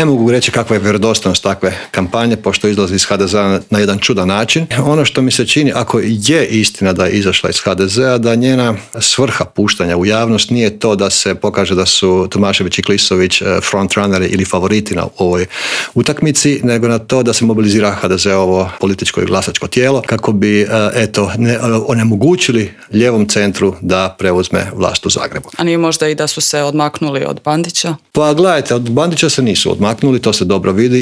Ne mogu reći kakva je vjerodostojnost takve kampanje, pošto izlazi iz HDZ-a na jedan čudan način. Ono što mi se čini, ako je istina da je izašla iz HDZ-a, da njena svrha puštanja u javnost nije to da se pokaže da su Tomašević i Klisović frontrunneri ili favoriti na ovoj utakmici, nego na to da se mobilizira HDZ-ovo političko i glasačko tijelo kako bi onemogućili lijevom centru da preuzme vlast u Zagrebu. A nije možda i da su se odmaknuli od Bandića? Pa gledajte, od Bandića se nisu odmaknuli, to se dobro vidi